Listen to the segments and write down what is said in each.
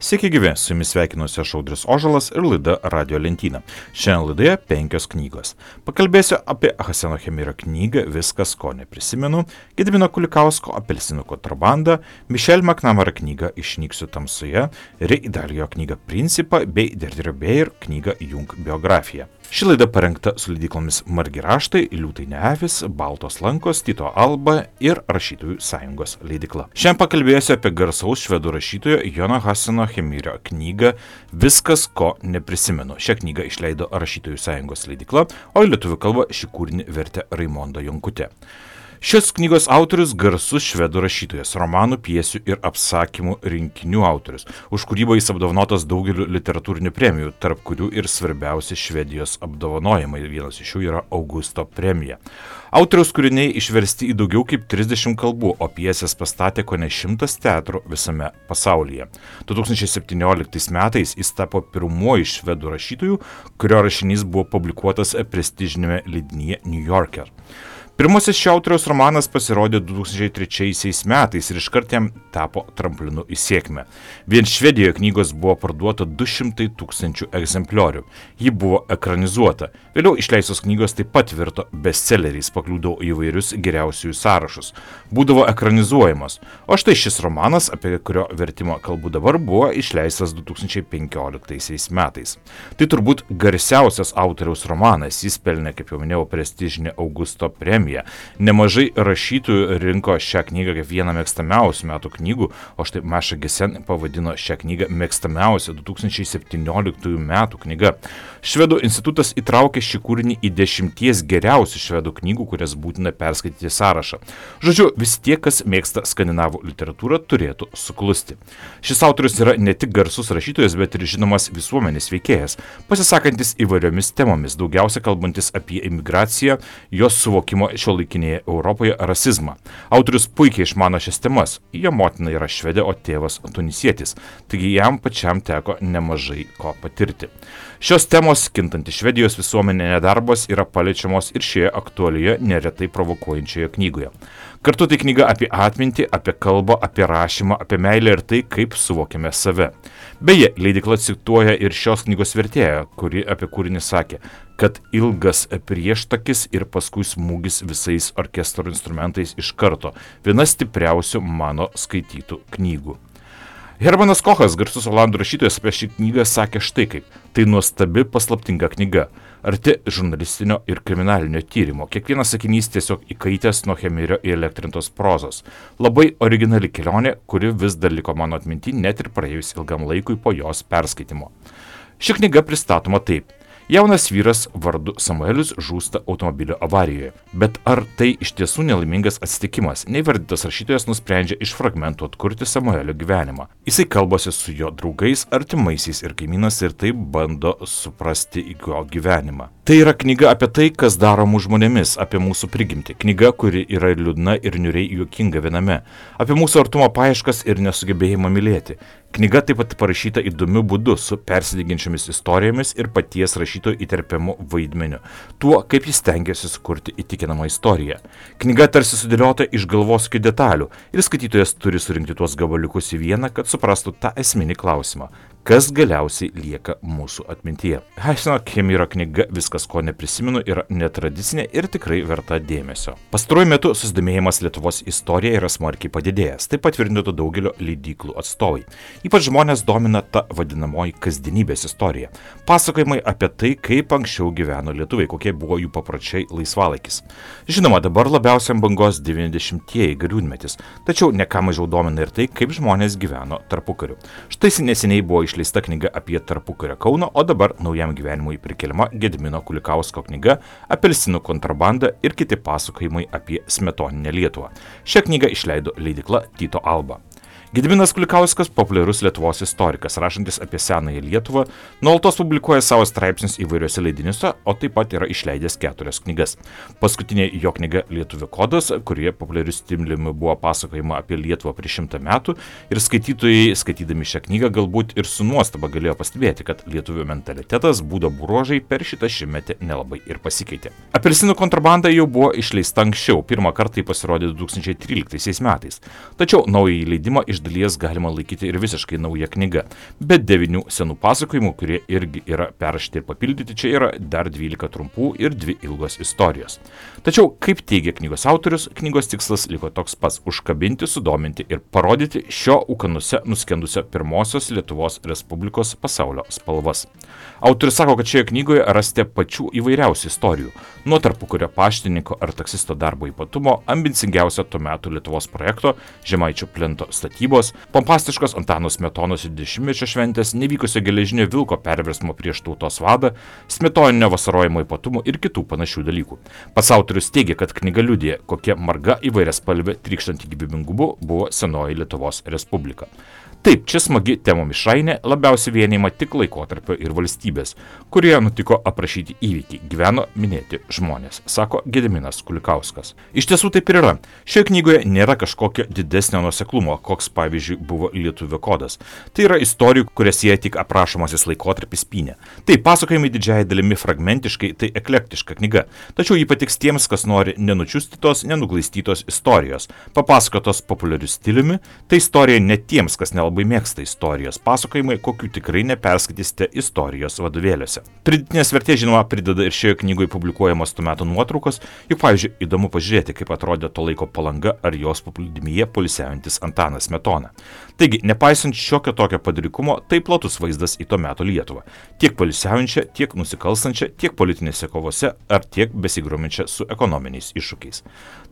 Sveiki gyvi, su jumis sveikinuosi aš Audrius Ožalas ir laida Radio lentyna. Šiandien laidoje 5 knygos. Pakalbėsiu apie Hasano Chemiro knygą Viskas, ko neprisimenu, Gedimino Kulikausko Apelsinų kontrabandą, Michelle McNamara knygą Išnyksiu tamsoje, Ray Dalio knygą Principą bei Deirdre Bair knygą Jung biografija. Ši laida parengta su leidyklomis Margi raštai, Liūtai ne avys, Baltos lankos, Tyto Alba ir Rašytojų sąjungos leidykla. Šiandien pakalbėsiu apie garsaus švedų rašytojo Jono Hasano Chemirio knygą Viskas, ko neprisimenu. Šią knygą išleido Rašytojų sąjungos leidykla, o į lietuvių kalbą šį kūrinį vertė Raimonda Jonkutė. Šios knygos autorius garsus švedų rašytojas, romanų, pjesių ir apsakymų rinkinių autorius. Už kūrybą jis apdovanotas daugeliu literatūrinių premijų, tarp kurių ir svarbiausi Švedijos apdovanojimai. Vienas iš jų yra Augusto premija. Autoriaus kūriniai išversti į daugiau kaip 30 kalbų, o pjesės pastatė kone 100 teatrų visame pasaulyje. 2017 metais jis tapo pirmuoju švedų rašytoju, kurio rašinys buvo publikuotas prestižinėme leidinyje New Yorker. Pirmasis šio autoriaus romanas pasirodė 2003 metais ir iškart jam tapo tramplinu į sėkmę. Vien Švedijoje knygos buvo parduota 200 000 egzempliorių. Ji buvo ekranizuota. Vėliau išleistos knygos taip pat virto bestselleriais, pakliūdavo į įvairius geriausiųjų sąrašus. Būdavo ekranizuojamos. O štai šis romanas, apie kurio vertimą kalbu dabar, buvo išleistas 2015 metais. Tai turbūt garsiausias autoriaus romanas. Jis pelnė, kaip jau minėjau, prestižinę Augusto premiją. Nemažai rašytojų rinko šią knygą kaip vieną mėgstamiausių metų knygų, o štai Maša Gesen pavadino šią knygą mėgstamiausia 2017 metų knyga. Švedų institutas įtraukė šį kūrinį į 10 geriausių švedų knygų, kurias būtina perskaityti sąrašą. Žodžiu, visi tie, kas mėgsta skandinavų literatūrą, turėtų suklusti. Šis autorius yra ne tik garsus rašytojas, bet ir žinomas visuomenės veikėjas, pasisakantis įvairiomis temomis, daugiausia kalbantis apie imigraciją, jos suvokimo šiuolaikinėje Europoje rasizmą. Autorius puikiai išmano šias temas. Jo motina yra švedė, o tėvas tunisietis. Taigi jam pačiam teko nemažai ko patirti. Šios temos, kintanti Švedijos visuomenė, nedarbas, yra paliečiamos ir šioje aktualioje, neretai provokuojančioje knygoje. Kartu tai knyga apie atmintį, apie kalbą, apie rašymą, apie meilę ir tai, kaip suvokiame save. Beje, leidykla cituoja ir šios knygos vertėją, kuri apie kūrinį sakė, kad ilgas prieštakis ir paskui smūgis visais orkestro instrumentais iš karto. Viena stipriausių mano skaitytų knygų. Hermanas Kochas, garsus olandų rašytojas, apie šį knygą sakė štai kaip. Tai nuostabi paslaptinga knyga, arti žurnalistinio ir kriminalinio tyrimo. Kiekvienas sakinys tiesiog įkaitęs nuo Chemirio įelektrintos prozos. Labai originali kelionė, kuri vis dar liko mano atminty net ir praėjus ilgam laikui po jos perskaitimo. Ši knyga pristatoma taip. Jaunas vyras vardu Samuelis žūsta automobilio avarijoje. Bet ar tai iš tiesų nelaimingas atsitikimas? Neįvardytas rašytojas nusprendžia iš fragmentų atkurti Samuelio gyvenimą. Jisai kalbasi su jo draugais, artimaisiais ir kaimynas ir taip bando suprasti jo gyvenimą. Tai yra knyga apie tai, kas daro mūsų žmonėmis, apie mūsų prigimtį. Knyga, kuri yra liūdna ir niūriai juokinga viename. Apie mūsų artumo paieškas ir nesugebėjimą mylėti. Knyga taip pat parašyta įdomiu būdu su persidengiančiomis istorijomis ir paties rašytojo įterpiamu vaidmeniu. Tuo, kaip jis stengiasi sukurti įtikinamą istoriją. Knyga tarsi sudėliota iš galvosūkių detalių ir skaitytojas turi surinkti tuos gabaliukus į vieną, kad suprastų tą esminį klausimą. Kas galiausiai lieka mūsų atmintyje. Hasano Chemiro knyga Viskas, ko neprisimenu, yra netradicinė ir tikrai verta dėmesio. Pastaruoju metu susidomėjimas Lietuvos istorija yra smarkiai padidėjęs, taip patvirtintų daugelio leidyklų atstovai. Ypač žmonės domina ta vadinamoji kasdienybės istorija. Pasakojimai apie tai, kaip anksčiau gyveno lietuviai, kokie buvo jų papročiai laisvalaikis. Žinoma, dabar labiausiai ant bangos 90-ieji gariūnmetis, tačiau ne ką mažiau domina ir tai, kaip žmonės gyveno tarpukariu. Štai neseniai buvo išleista knyga apie tarpukario Kauną, o dabar naujam gyvenimui prikeliama Gedimino Kulikausko knyga Apelsinų kontrabanda ir kiti pasakojimai apie smetoninę Lietuvą. Šią knygą išleido leidykla Tyto Alba. Gediminas Kulikauskas populiarus Lietuvos istorikas, rašantis apie senąją Lietuvą, nuolatos publikuoja savo straipsnius įvairiuose leidiniuose, o taip pat yra išleidęs 4 knygas. Paskutinė jo knyga Lietuvių kodas, kurioje populiariu stiliumi buvo pasakojama apie Lietuvą prieš 100 metų ir skaitytojai, skaitydami šią knygą, galbūt ir su nuostaba galėjo pastebėti, kad lietuvių mentalitetas, būdo bruožai per šitą šimtmetį nelabai ir pasikeitė. Apelsinų kontrabanda jau buvo išleista anksčiau, pirmą kartą pasirodė 2013 metais, tačiau naująjį leidimą iš dalies galima laikyti ir visiškai nauja knyga, bet 9 senų pasakojimų, kurie irgi yra perrašyti ir papildyti, čia yra dar 12 trumpų ir 2 ilgos istorijos. Tačiau, kaip teigia knygos autorius, knygos tikslas liko toks pats – užkabinti, sudominti ir parodyti šio ūkanuose nuskendusio pirmosios Lietuvos Respublikos pasaulio spalvas. Autorius sako, kad šioje knygoje rasite pačių įvairiausių istorijų, nuo tarpukario paštininko ar taksisto darbo ypatumo, ambicingiausio tuo metu Lietuvos projekto Žemaičių plento statybos, pompastiškos Antano Smetonos 20-mečio šventės, nevykusio geležinio vilko perversmo prieš tautos vadą, smetoninio vasarojimo ypatumų ir kitų panašių dalykų. Pats autorius teigia, kad knyga liudija, kokia marga įvairiaspalvė trykštanti gyvybingumu buvo senoji Lietuvos Respublika. Taip, čia smagi temų mišrainė, labiausiai vienijama tik laikotarpio ir valstybės, kurioje nutiko aprašyti įvykiai, gyveno minėti žmonės, sako Gediminas Kulikauskas. Iš tiesų taip ir yra. Šioje knygoje nėra kažkokio didesnio nuoseklumo, koks pavyzdžiui buvo Lietuvio kodas. Tai yra istorijų, kurias jie tik aprašomasis laikotarpis pynė. Tai pasakojimai didžiąją dalimi fragmentiškai, tai eklektiška knyga. Tačiau ji patiks tiems, kas nori nenučiustytos, nenuglaistytos istorijos, papasakotos populiariu stiliumi, tai istorija ne tiems, kas nelabai mėgsta istorijos pasakojimai, kokių tikrai neperskaitysite istorijos vadovėliuose. Pridėtinės vertės, žinoma, prideda ir šioje knygoje publikuojamos tuo metu nuotraukos, juk, pavyzdžiui, įdomu pažiūrėti, kaip atrodė to laiko Palanga ar jos paplūdimyje poilsiaujantis Antanas Smetona. Taigi, nepaisant šiokio tokio padrikumo, tai platus vaizdas į to meto Lietuvą. Tiek poilsiaujančią, tiek nusikalstančią, tiek politinėse kovose ar tiek besigrominčią su ekonominiais iššūkiais.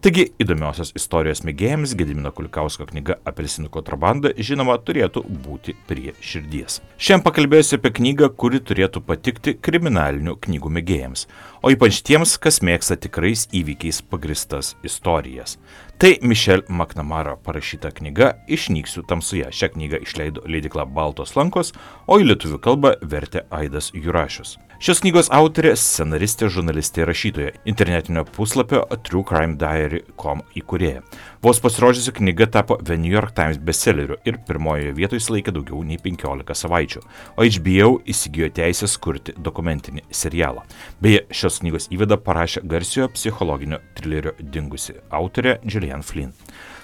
Taigi, įdomiosios istorijos mėgėjams Gedimino Kulikausko knyga Apelsinų kontrabanda, žinoma, turėtų būti prie širdies. Šiandien pakalbėsiu apie knygą, kuri turėtų patikti kriminalinių knygų mėgėjams, o ypač tiems, kas mėgsta tikrais įvykiais pagristas istorijas. Tai Michelle McNamara parašyta knyga Išnyksiu tamsoje. Šią knygą išleido leidykla Baltos lankos, o į lietuvių kalbą vertė Aidas Jurašius. Šios knygos autorė, scenaristė, žurnalistė ir rašytoja, internetinio puslapio truecrimediary.com įkūrėja. Vos pasirodžiusi knyga tapo The New York Times bestselleriu ir pirmojoje vietoje išsilaikė daugiau nei 15 savaičių, o HBO įsigijo teisės kurti dokumentinį serialą. Beje, šios knygos įvadą parašė garsiojo psichologinio trilerio Dingusi autorė Gillian Flynn.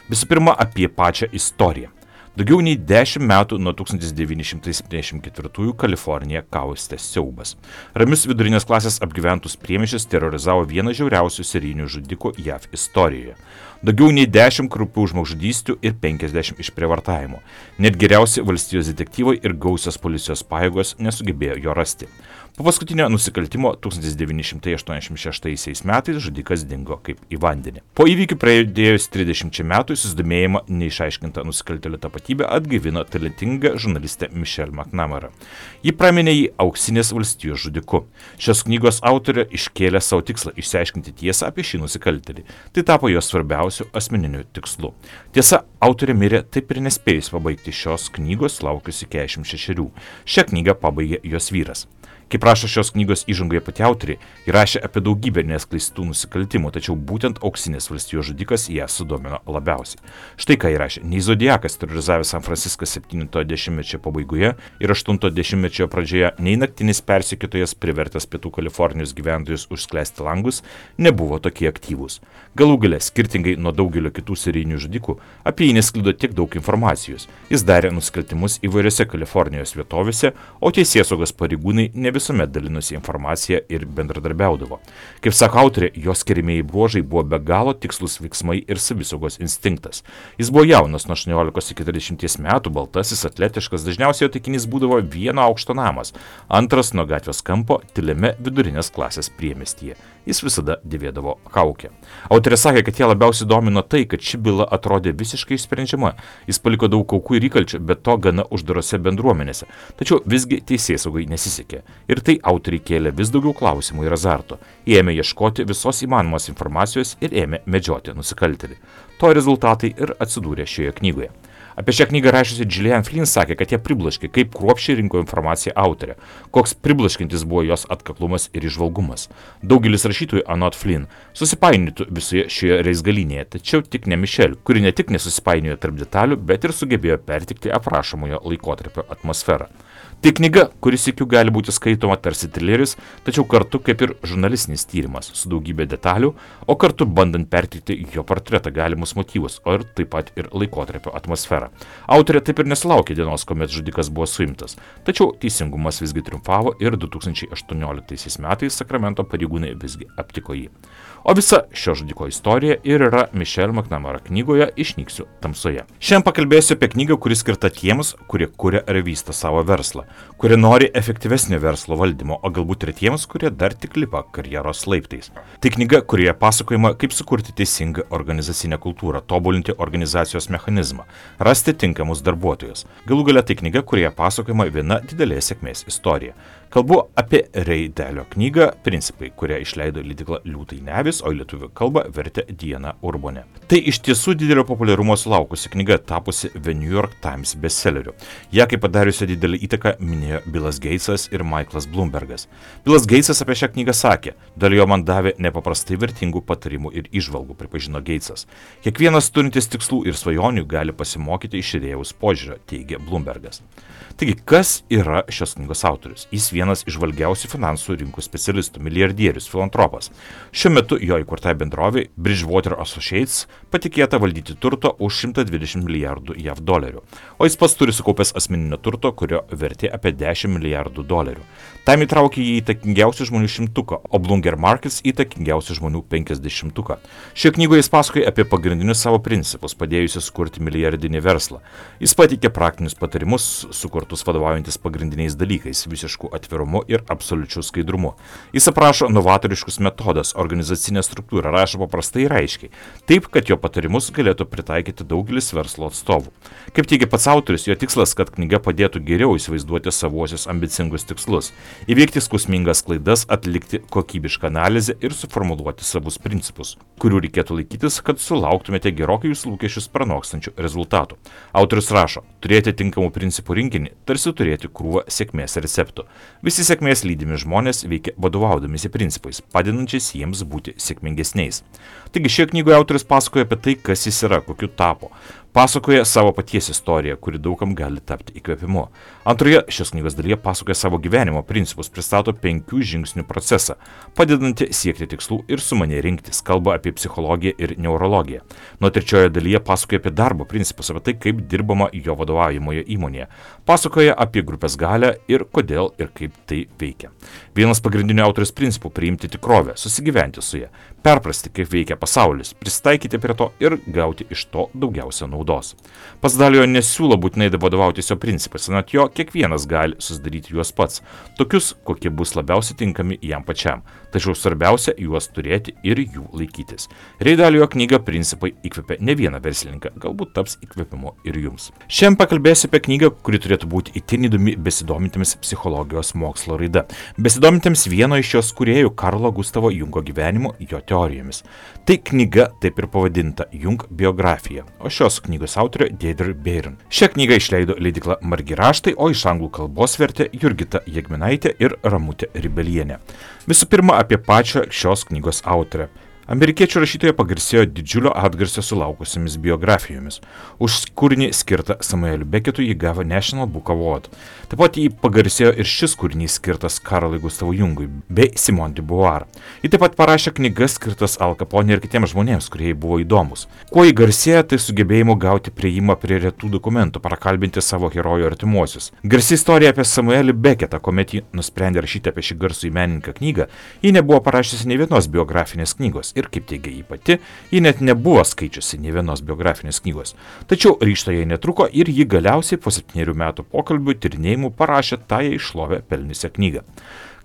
Visų pirma, apie pačią istoriją. Daugiau nei 10 metų nuo 1974 Kaliforniją kaustė siaubas. Ramius vidurinės klasės apgyventus priemiesčius terorizavo vieną žiauriausių serijinių žudikų JAV istorijoje. Daugiau nei 10 kraupių žmogžudysčių ir 50 išprievartavimų. Net geriausi valstijos detektyvai ir gausios policijos pajėgos nesugebėjo jo rasti. Po paskutinio nusikaltimo 1986 metais žudikas dingo kaip į vandenį. Po įvykių praėjus 30 metų susidomėjimą neišaiškinta nusikaltėlio tapatybė atgaivino talentinga žurnalistė Michelle McNamara. Ji praminė jį auksinės valstijos žudiku. Šios knygos autorė iškėlė savo tikslą išsiaiškinti tiesą apie šį nusikaltėlį. Tai tapo jos svarbiausiu asmeniniu tikslu. Tiesa, autorė mirė taip ir nespėjus pabaigti šios knygos laukusi 46. Šią knygą pabaigė jos vyras. Kaip rašo šios knygos įžangoje pati autorė, ji rašė apie daugybę neskleistų nusikaltimų, tačiau būtent auksinės valstijos žudikas ją sudomino labiausiai. Štai ką ji rašė: nei Zodiakas terorizavęs San Franciską 70-mečio pabaigoje ir 80-mečio pradžioje, nei naktinis persekiotojas privertęs Pietų Kalifornijos gyventojus užsklęsti langus nebuvo tokie aktyvūs. Galų gale, skirtingai nuo daugelio kitų serijinių žudikų, apie jį nesklido tiek daug informacijos. Jis darė nusikaltimus įvairiose Kalifornijos vietovėse, o teisėsaugos pareigūnai ne visuomet dalinosi informaciją ir bendradarbiaudavo. Kaip sako autorė, jos skiriamieji bruožai buvo be galo tikslus veiksmai ir savisaugos instinktas. Jis buvo jaunas nuo 18 iki 40 metų, baltasis, atletiškas, dažniausiai jo taikinys būdavo vieno aukšto namas, antras nuo gatvės kampo tyliame vidurinės klasės priemiestyje. Jis visada dėvėdavo kaukę. Autorė sakė, kad ją labiausiai domino tai, kad ši byla atrodė visiškai išsprendžiama. Jis paliko daug aukų ir įkalčių, bet to gana uždarose bendruomenėse. Tačiau visgi teisėsaugai nesisekė. Ir tai autoriai kėlė vis daugiau klausimų ir azarto. Jie ėmė ieškoti visos įmanomos informacijos ir ėmė medžioti nusikaltėlį. To rezultatai ir atsidūrė šioje knygoje. Apie šią knygą rašiusi Gillian Flynn sakė, kad ją priblaškė, kaip kruopščiai rinko informaciją autorė, koks priblaškintis buvo jos atkaklumas ir įžvalgumas. Daugelis rašytojų anot Flynn susipainiotų visoje šioje reizgalynėje, tačiau tik ne Michelle, kuri ne tik nesusipainiojo tarp detalių, bet ir sugebėjo pertikti aprašomojo laikotarpio atmosferą. Tai knyga, kuris sykiu gali būti skaitoma tarsi trileris, tačiau kartu kaip ir žurnalistinis tyrimas su daugybė detalių, o kartu bandant perteikti jo portretą, galimus motyvus, o ir taip pat ir laikotarpio atmosferą. Autorė taip ir nesulaukė dienos, kuomet žudikas buvo suimtas. Tačiau teisingumas visgi triumfavo ir 2018 metais Sakramento pareigūnai visgi aptiko jį. O visa šio žudiko istorija ir yra Michelle McNamara knygoje Išnyksiu tamsoje. Šiandien pakalbėsiu apie knygą, kuri skirta tiems, kurie kuria ir vysto savo verslą, kurie nori efektyvesnio verslo valdymo, o galbūt ir tiems, kurie dar tik lipa karjeros laiptais. Tai knyga, kurioje pasakojama, kaip sukurti teisingą organizacinę kultūrą, tobulinti organizacijos mechanizmą, rasti tinkamus darbuotojus. Galų gale tai knyga, kurioje pasakojama viena didelė sėkmės istorija. Kalbu apie Ray Dalio knygą Principai, kurią išleido leidykla Liūtai Nevis, o į lietuvių kalbą vertė Diana Urbonė. Tai iš tiesų didelio populiarumo sulaukusi knyga, tapusi The New York Times bestselleriu. Ja kaip padariusi didelį įtaką minėjo Billas Gatesas ir Michaelas Bloombergas. Billas Gatesas apie šią knygą sakė: "Dalio man davė nepaprastai vertingų patarimų ir įžvalgų", pripažino Gatesas. "Kiekvienas turintis tikslų ir svajonių gali pasimokyti iš idėjaus požiūrio", teigė Bloombergas. Taigi, kas yra šios knygos autorius? Jis vienas iš žvalgiausių finansų rinkų specialistų, milijardierius, filantropas. Šiuo metu jo įkurtai bendrovei Bridgewater Associates patikėta valdyti turto už 120 milijardų JAV dolerių, o jis pats turi sukaupęs asmeninio turto, kurio vertė apie 10 milijardų dolerių. Tam įtraukė jį įtakingiausių žmonių 100, o Bloomberg Markets įtakingiausių žmonių 50. Šioje knygoje jis pasakoja apie pagrindinius savo principus, padėjusius sukurti milijardinį verslą. Jis pateikė praktinius patarimus, sukurtus vadovaujantis pagrindiniais dalykais - visišku atvirumu ir absoliučiu skaidrumu. Jis aprašo novatoriškus metodas, organizacinę struktūrą, rašo paprastai ir aiškiai, taip, kad jo patarimus galėtų pritaikyti daugelis verslo atstovų. Kaip teigia pats autorius, jo tikslas, kad knyga padėtų geriau įsivaizduoti savuosius ambicingus tikslus, įveikti skausmingas klaidas, atlikti kokybišką analizę ir suformuluoti savus principus, kurių reikėtų laikytis, kad sulauktumėte gerokai jūsų lūkesčius pranokstančių rezultatų. Autorius rašo: "Turėti tinkamų principų rinkinį, tarsi turėti krūvą sėkmės receptų. Visi sėkmės lydimi žmonės veikia vadovaudamisi principais, padedančiais jiems būti sėkmingesniais." Taigi šioje knygoje autorius pasakoja apie tai, kas jis yra, kokiu tapo. Pasakoja savo paties istoriją, kuri daugam gali tapti įkvėpimu. Antroje šios knygos dalyje pasakoja savo gyvenimo principus, pristato 5 žingsnių procesą, padedantį siekti tikslų ir sumaniai rinktis, kalba apie psichologiją ir neurologiją. Nuo trečioje dalyje pasakoja apie darbo principus, apie tai, kaip dirbama jo vadovaujamoje įmonėje. Pasakoja apie grupės galią ir kodėl ir kaip tai veikia. Vienas pagrindinių autorius principų - priimti tikrovę, susigyventi su ja, perprasti, kaip veikia pasaulis, prisitaikyti prie to ir gauti iš to daugiausia naudos. Pats Dalio nesiūlo būtinai vadovautis jo principais, anot jo kiekvienas gali susidaryti juos pats, tokius, kokie bus labiausiai tinkami jam pačiam. Tačiau svarbiausia juos turėti ir jų laikytis. Ray Dalio knyga Principai įkvėpė ne vieną verslininką, galbūt taps įkvėpimu ir jums. Šiandien pakalbėsiu apie knygą, kuri turėtų būti itin įdomi besidomintiems psichologijos mokslo raida, besidomintiems vieno iš jos kūrėjų Karlo Gustavo Jungo gyvenimu, jo teorijomis. Tai knyga taip ir pavadinta Jung biografija, o šios knygos autorė Deirdre Barron. Šią knygą išleido leidykla Margi raštai, o iš anglų kalbos vertė Jurgita Jegminaitė ir Ramutė Ribelienė. Visų pirma, apie pačią šios knygos autorę. Amerikiečių rašytoja pagarsėjo didžiulio atgarsio sulaukusiamis biografijomis. Už kūrinį skirtą Samueliui Becketui ji gavo National Book Award. Taip pat jį pagarsėjo ir šis kūrinys skirtas Karlui Gustavui Jungui bei Simone de Beauvoir. Ji taip pat parašė knygas skirtas Al Capone ir kitiems žmonėms, kurie jai buvo įdomus. Kuo ji garsėja, tai sugebėjimu gauti prieimą prie retų dokumentų, prakalbinti savo herojų artimuosius. Garsi istorija apie Samuelį Becketą, kuomet ji nusprendė rašyti apie šį garsų menininką knygą, ji nebuvo parašiusi nei vienos biografinės knygos. Ir kaip teigia ji pati, ji net nebuvo skaičiusi nei vienos biografinės knygos. Tačiau ryžto jai netruko ir ji galiausiai po 7 metų pokalbių tyrinėjimų parašė tą jai šlovę pelniusią knygą.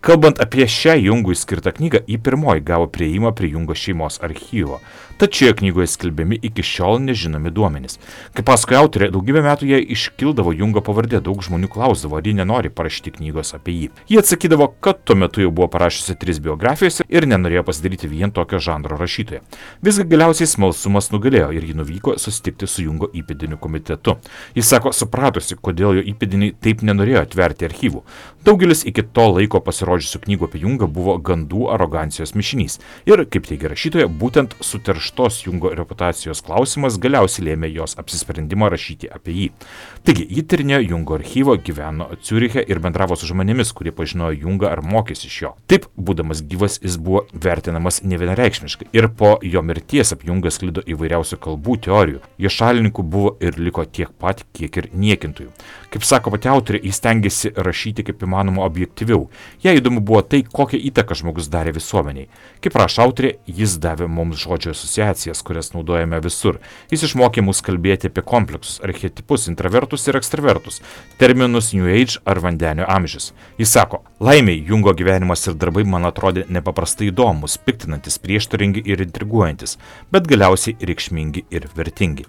Kalbant apie šią Jungui skirtą knygą, ji pirmoji gavo prieimą prie Jungo šeimos archyvo. Tačiau knygoje skelbiami iki šiol nežinomi duomenys. Kaip pasakoja autorė, daugybę metų jai iškildavo Jungo pavardė, daug žmonių klausdavo, ar ji nenori parašyti knygos apie jį. Ji atsakydavo, kad tuo metu jau buvo parašiusi 3 biografijas ir nenorėjo pasidaryti vien tokio žanro rašytoja. Visgi galiausiai smalsumas nugalėjo ir ji nuvyko susitikti su Jungo įpėdinių komitetu. Jis sako, supratusi, kodėl jo įpėdiniai taip nenorėjo atverti archyvų. Daugelis iki to laiko pasirodžiusių knygų apie Jungą buvo gandų arogancijos mišinys ir, kaip teigia rašytoja, būtent suterštų tirštos Jungo reputacijos klausimas galiausiai lėmė jos apsisprendimą rašyti apie jį. Taigi, ji tyrinėjo Jungo archyvą, gyveno Ciuriche ir bendravo su žmonėmis, kurie pažinojo Jungą ar mokėsi iš jo. Taip, būdamas gyvas, jis buvo vertinamas nevienareikšmiškai ir po jo mirties apie Jungą sklido įvairiausių kalbų, teorijų. Jo šalininkų buvo ir liko tiek pat, kiek ir niekintojų. Kaip sako pati autorė, jis stengiasi rašyti kaip įmanoma objektyviau. Jai įdomu buvo tai, kokią įtaką žmogus darė visuomeniai. Kaip rašo autorė, jis davė mums žodžio asociacijas, kurias naudojame visur. Jis išmokė mus kalbėti apie kompleksus, archetipus, intravertus ir ekstravertus, terminus New Age ar vandenio amžius. Jis sako, laimiai Jungo gyvenimas ir darbai man atrodė nepaprastai įdomus, piktinantis, prieštaringi ir intriguojantis, bet galiausiai reikšmingi ir vertingi.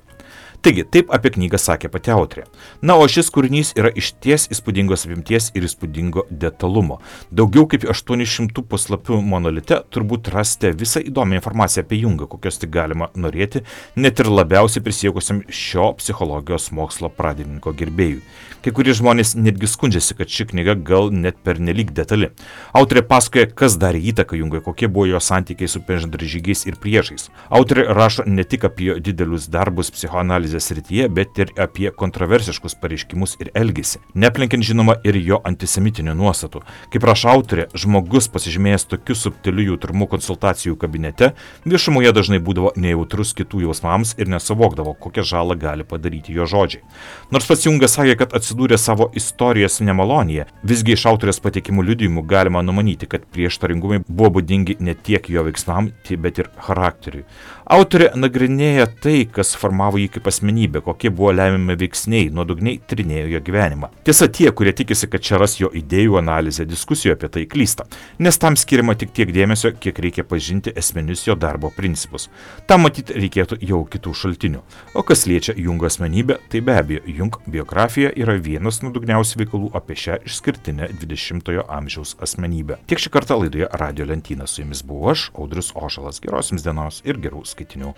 Taigi, taip apie knygą sakė pati autorė. Na, o šis kūrinys yra išties įspūdingos apimties ir įspūdingo detalumo. Daugiau kaip 800 puslapių monolite turbūt rasite visą įdomią informaciją apie Jungą, kokios tik galima norėti, net ir labiausiai prisiekusiam šio psichologijos mokslo pradininko gerbėjui. Kai kurie žmonės netgi skundžiasi, kad ši knyga gal net pernelyg detali. Autorė pasakoja, kas darė įtaką Jungai, kokie buvo jo santykiai su bendražygiais ir priešais. Autorė rašo ne tik apie didelius darbus psichoanalizės srityje, bet ir apie kontroversiškus pareiškimus ir elgesį, neplenkiant žinoma ir jo antisemitinių nuostatų. Kaip rašo autorė, žmogus pasižymėjęs tokiu subtiliu jautrumu konsultacijų kabinete, viešumoje dažnai būdavo nejautrus kitų jausmams ir nesuvokdavo, kokią žalą gali padaryti jo žodžiai. Nors pats Jungas sakė, kad atsidūrė savo istorijos nemalonėje, visgi iš autorės pateikimų liudijimų galima numanyti, kad prieštaringumai buvo būdingi ne tiek jo veiksmam, bet ir charakteriui. Autorė nagrinėja tai, kas formavo jį kaip asmenybę, kokie buvo lemiami veiksniai, nuodugniai tyrinėjo jo gyvenimą. Tiesa, tie, kurie tikisi, kad čia ras jo idėjų analizę, diskusijų apie tai klysta, nes tam skiriama tik tiek dėmesio, kiek reikia pažinti esminius jo darbo principus. Tam matyti reikėtų jau kitų šaltinių. O kas liečia Jungo asmenybę, tai be abejo, Jung biografija yra vienas nuodugniausių veikalų apie šią išskirtinę 20-ojo amžiaus asmenybę. Tiek šį kartą laidoje Radio Lentyna. Su jumis buvau aš, Audrius Ožalas. Geros jums dienos ir gerų skaitinių.